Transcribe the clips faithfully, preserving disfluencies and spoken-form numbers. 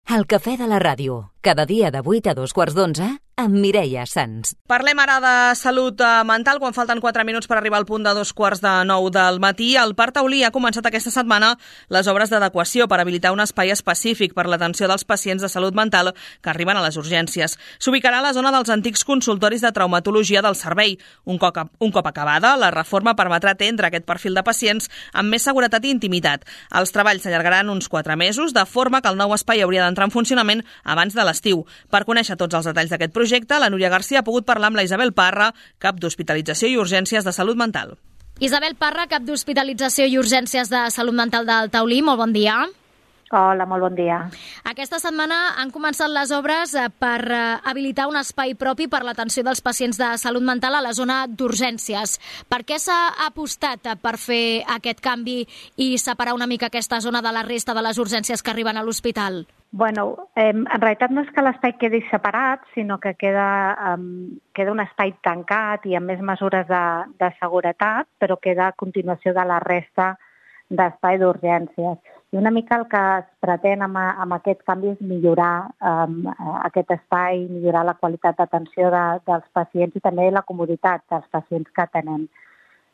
El cafè de la ràdio, cada dia de vuit a dos quarts d'onze, amb Mireia Sans. Parlem ara de salut mental, quan falten quatre minuts per arribar al punt de dos quarts de nou del matí. El Parc Taulí ha començat aquesta setmana les obres d'adequació per habilitar un espai específic per l'atenció dels pacients de salut mental que arriben a les urgències. S'ubicarà a la zona dels antics consultoris de traumatologia del servei. Un cop, un cop acabada, la reforma permetrà atendre aquest perfil de pacients amb més seguretat i intimitat. Els treballs s'allargaran uns quatre mesos, de forma que el nou espai hauria d'entrar en funcionament abans de l'estiu. Per conèixer tots els detalls d'aquest projecte, la Núria Garcia ha pogut parlar amb la Isabel Parra, cap d'Hospitalització i Urgències de Salut Mental. Isabel Parra, cap d'Hospitalització i Urgències de Salut Mental del Taulí, molt bon dia. Hola, molt bon dia. Aquesta setmana han començat les obres per habilitar un espai propi per l'atenció dels pacients de salut mental a la zona d'urgències. Per què s'ha apostat per fer aquest canvi i separar una mica aquesta zona de la resta de les urgències que arriben a l'hospital? Bueno, eh, en realitat no és que l'espai quedi separat, sinó que queda, um, queda un espai tancat i amb més mesures de, de seguretat, però queda a continuació de la resta d'espai d'urgències. I una mica el que es pretén amb, amb aquest canvi és millorar um, aquest espai, millorar la qualitat d'atenció de, dels pacients i també la comoditat dels pacients que atenem.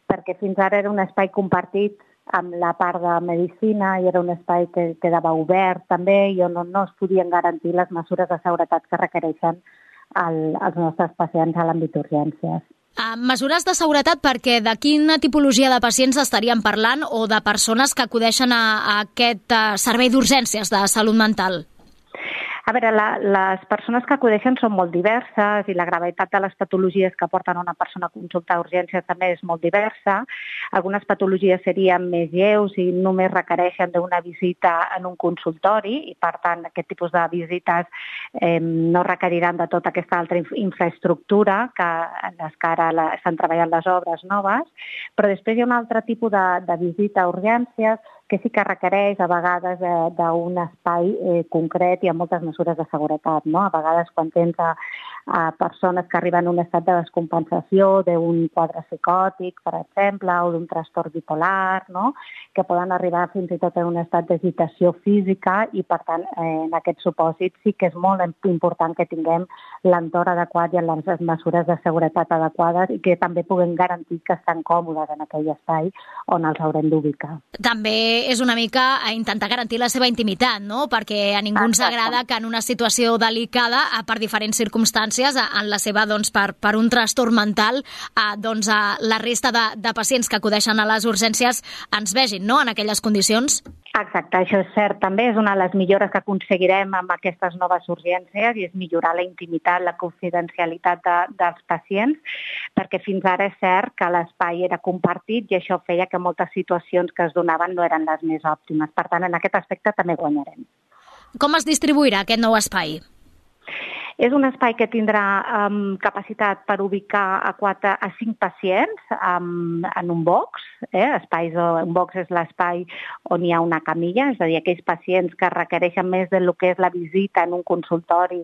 Perquè fins ara era un espai compartit amb la part de medicina i era un espai que quedava obert també i on no es podien garantir les mesures de seguretat que requereixen el, els nostres pacients a l'àmbit d'urgències. Uh, mesures de seguretat perquè de quina tipologia de pacients estaríem parlant o de persones que acudeixen a, a aquest uh, servei d'urgències de salut mental? A veure, la, les persones que acudeixen són molt diverses i la gravetat de les patologies que porten una persona a consultar urgències també és molt diversa. Algunes patologies serien més lleus i només requereixen d'una visita en un consultori i, per tant, aquest tipus de visites eh, no requeriran de tota aquesta altra infraestructura que en les que ara la, estan treballant les obres noves, però després hi ha un altre tipus de, de visita a urgències que sí que requereix a vegades eh, d'un espai eh, concret i amb moltes mesures de seguretat, no? A vegades quan tens a, a persones que arriben a un estat de descompensació, d'un quadre psicòtic, per exemple, o d'un trastorn bipolar, no? Que poden arribar fins i tot a un estat d'agitació física i, per tant, eh, en aquest supòsit sí que és molt important que tinguem l'entorn adequat i les mesures de seguretat adequades i que també puguem garantir que estan còmodes en aquell espai on els haurem d'ubicar. També és una mica a intentar garantir la seva intimitat, no? Perquè a ningú ens agrada que en una situació delicada, per diferents circumstàncies, en la seva, doncs, per, per un trastorn mental, doncs, la resta de, de pacients que acudeixen a les urgències ens vegin, no?, en aquelles condicions. Exacte, això és cert. També és una de les millores que aconseguirem amb aquestes noves urgències i és millorar la intimitat, la confidencialitat de, dels pacients, perquè fins ara és cert que l'espai era compartit i això feia que moltes situacions que es donaven no eren les més òptimes. Per tant, en aquest aspecte també guanyarem. Com es distribuirà aquest nou espai? És un espai que tindrà um, capacitat per ubicar a, quatre, a cinc pacients um, en un box. Eh? Espais, un box és l'espai on hi ha una camilla, és a dir, aquells pacients que requereixen més del que és la visita en un consultori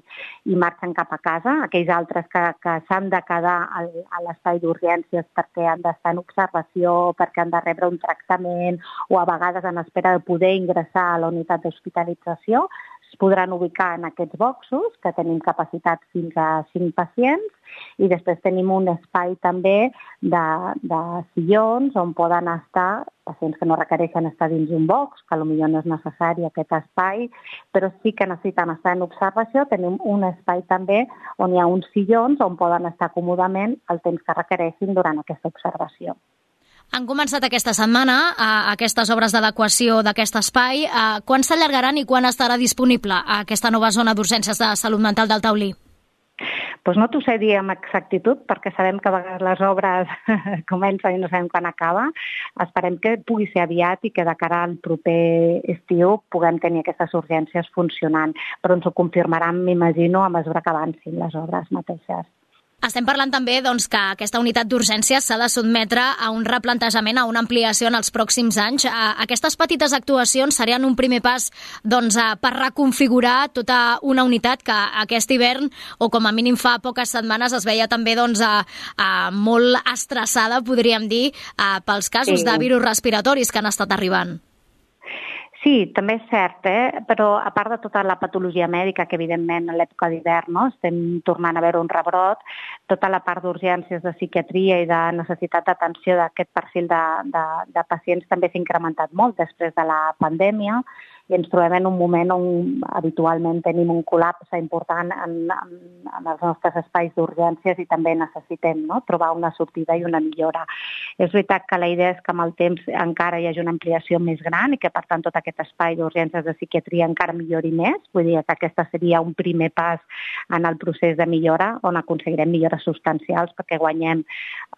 i marxen cap a casa, aquells altres que, que s'han de quedar al, a l'espai d'urgències perquè han d'estar en observació, perquè han de rebre un tractament o a vegades en espera de poder ingressar a la unitat d'hospitalització, es podran ubicar en aquests boxos, que tenim capacitat fins a cinc pacients, i després tenim un espai també de, de sillons on poden estar pacients que no requereixen estar dins un box, que potser no és necessari aquest espai, però sí que necessiten estar en observació. Tenim un espai també on hi ha uns sillons on poden estar còmodament el temps que requereixin durant aquesta observació. Han començat aquesta setmana eh, aquestes obres d'adequació d'aquest espai. Eh, quan s'allargaran i quan estarà disponible aquesta nova zona d'urgències de salut mental del Taulí? Pues no t'ho sé dir amb exactitud, perquè sabem que a vegades les obres comencen i no sabem quan acaba. Esperem que pugui ser aviat i que de cara al proper estiu puguem tenir aquestes urgències funcionant, però ens ho confirmaran, m'imagino, a mesura que avancin les obres mateixes. Estem parlant també, doncs, que aquesta unitat d'urgències s'ha de sotmetre a un replantejament, a una ampliació en els pròxims anys. Aquestes petites actuacions serien un primer pas, doncs, per reconfigurar tota una unitat que aquest hivern, o com a mínim fa poques setmanes, es veia també, doncs, a, a molt estressada, podríem dir, a, pels casos sí. de virus respiratoris que han estat arribant. Sí, Sí, també és cert, eh? Però a part de tota la patologia mèdica, que evidentment a l'època d'hivern no? Estem tornant a veure un rebrot, tota la part d'urgències de psiquiatria i de necessitat d'atenció d'aquest perfil de, de, de pacients també s'ha incrementat molt després de la pandèmia, i ens trobem en un moment on habitualment tenim un col·lapse important en, en, en els nostres espais d'urgències i també necessitem no? trobar una sortida i una millora. És veritat que la idea és que amb el temps encara hi hagi una ampliació més gran i que, per tant, tot aquest espai d'urgències de psiquiatria encara millori més. Vull dir que aquesta seria un primer pas en el procés de millora, on aconseguirem millores substancials perquè guanyem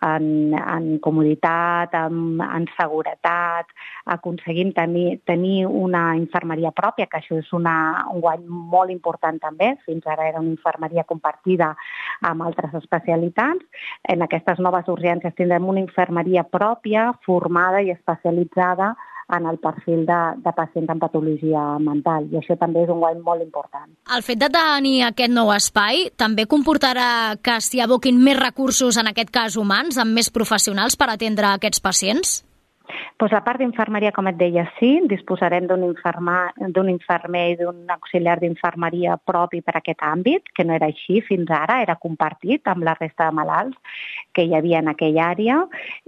en, en comoditat, en, en seguretat, aconseguim tenir, tenir una infermeria pròpia, que això és una, un guany molt important també. Fins ara era una infermeria compartida amb altres especialitats. En aquestes noves urgències tindrem una infermeria pròpia, formada i especialitzada en el perfil de, de pacients amb patologia mental, i això també és un guany molt important. El fet de tenir aquest nou espai també comportarà que s'hi aboquin més recursos, en aquest cas humans, amb més professionals per atendre aquests pacients? Pues la part d'infermeria, com et deia, sí, disposarem d'un d'un infermer i d'un auxiliar d'infermeria propi per a aquest àmbit, que no era així fins ara, era compartit amb la resta de malalts que hi havia en aquella àrea.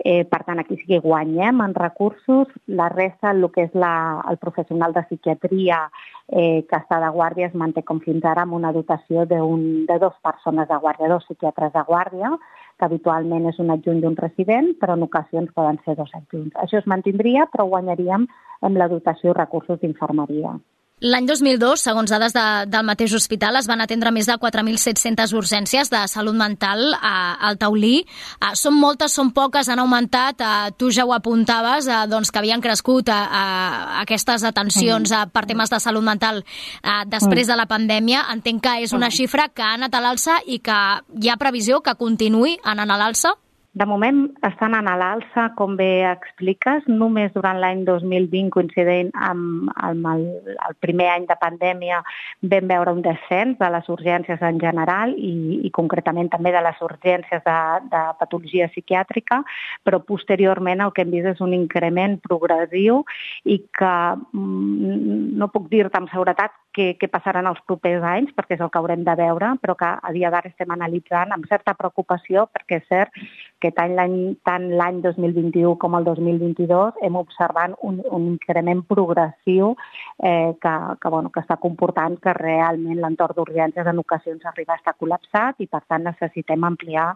Eh, per tant, aquí sí que guanyem en recursos. La resta, el que és la, el professional de psiquiatria eh, que està de guàrdia, es manté com fins ara amb una dotació de, un, de dues persones de guàrdia, dos psiquiatres de guàrdia, que habitualment és un adjunt d'un resident, però en ocasions poden ser dos adjunts. Això es mantindria, però guanyaríem amb la dotació i recursos d'infermeria. L'any dos mil dos, segons dades de, del mateix hospital, es van atendre més de quatre mil set-centes urgències de salut mental a, al Taulí. Uh, són moltes, són poques, han augmentat. Uh, tu ja ho apuntaves, uh, doncs, que havien crescut uh, uh, aquestes atencions uh, per temes de salut mental uh, després de la pandèmia. Entenc que és una xifra que ha anat a l'alça i que hi ha previsió que continuï anant a l'alça? De moment estan a l'alça, com bé expliques, només durant l'any dos mil vint, coincident amb, amb el, el primer any de pandèmia, vam veure un descens de les urgències en general i, i concretament també de les urgències de, de patologia psiquiàtrica, però posteriorment el que hem vist és un increment progressiu i que mm, no puc dir-te amb seguretat què, què passarà en els propers anys, perquè és el que haurem de veure, però que a dia d'ara estem analitzant amb certa preocupació, perquè és cert que tant l'any tant l'any dos mil vint-i-u com el dos mil vint-i-dos hem observat un, un increment progressiu eh, que, que, bueno, que està comportant que realment l'entorn d'urgències en ocasions arriba a estar col·lapsat i, per tant, necessitem ampliar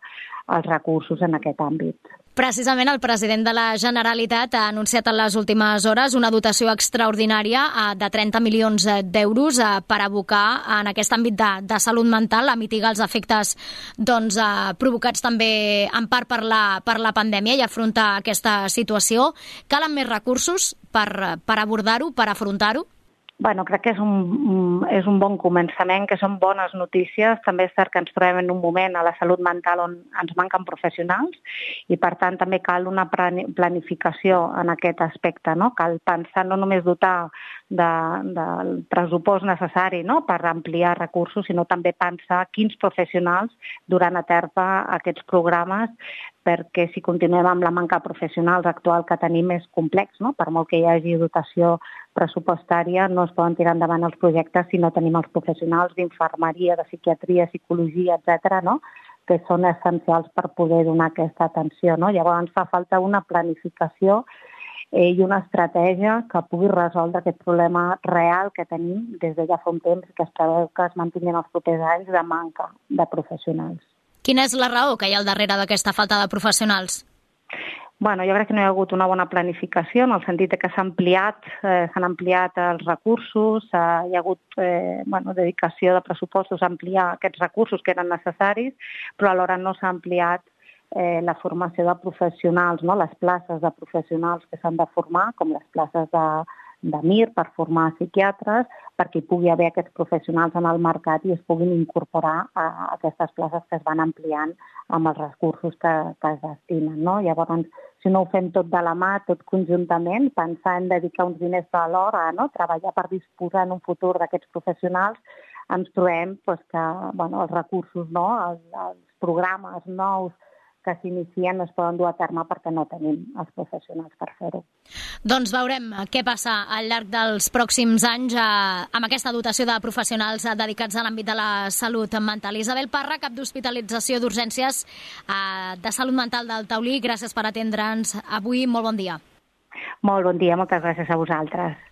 els recursos en aquest àmbit. Precisament el president de la Generalitat ha anunciat en les últimes hores una dotació extraordinària de trenta milions d'euros per abocar en aquest àmbit de, de salut mental, a mitigar els efectes doncs, provocats també en part per la, per la pandèmia i afrontar aquesta situació. Calen més recursos per, per abordar-ho, per afrontar-ho? Bueno, crec que és un, és un bon començament, que són bones notícies. També és cert que ens trobem en un moment a la salut mental on ens manquen professionals i, per tant, també cal una planificació en aquest aspecte, no? Cal pensar no només dotar de, del pressupost necessari no? per ampliar recursos, sinó també pensar quins professionals duran a terme aquests programes, perquè si continuem amb la manca de professionals actual que tenim és complex, no? Per molt que hi hagi dotació pressupostària, no es poden tirar endavant els projectes si no tenim els professionals d'infermeria, de psiquiatria, psicologia, etcètera, no? Que són essencials per poder donar aquesta atenció, no? Llavors fa falta una planificació eh, i una estratègia que pugui resoldre aquest problema real que tenim des de ja fa un temps i que es preveu que es mantinguin els propers anys de manca de professionals. Quina és la raó que hi ha al darrere d'aquesta falta de professionals? Bueno, jo crec que no hi ha hagut una bona planificació, en el sentit que s'ha ampliat, eh, s'han ampliat els recursos, eh, hi ha hagut eh, bueno, dedicació de pressupostos a ampliar aquests recursos que eren necessaris, però alhora no s'ha ampliat eh, la formació de professionals, no? Les places de professionals que s'han de formar, com les places de, de M I R per formar psiquiatres, perquè hi pugui haver aquests professionals en el mercat i es puguin incorporar a aquestes places que es van ampliant amb els recursos que, que es destinen, no? Llavors, si no ho fem tot de la mà, tot conjuntament, pensar en dedicar uns diners a l'hora, no? Treballar per disposar en un futur d'aquests professionals, ens trobem pues, que bueno, els recursos, no? els, els programes nous que s'inicien no es poden dur a terme perquè no tenim els professionals per fer-ho. Doncs veurem què passa al llarg dels pròxims anys eh, amb aquesta dotació de professionals dedicats a l'àmbit de la salut mental. Isabel Parra, cap d'hospitalització d'urgències eh, de salut mental del Taulí, gràcies per atendre'ns avui. Molt bon dia. Molt bon dia, moltes gràcies a vosaltres.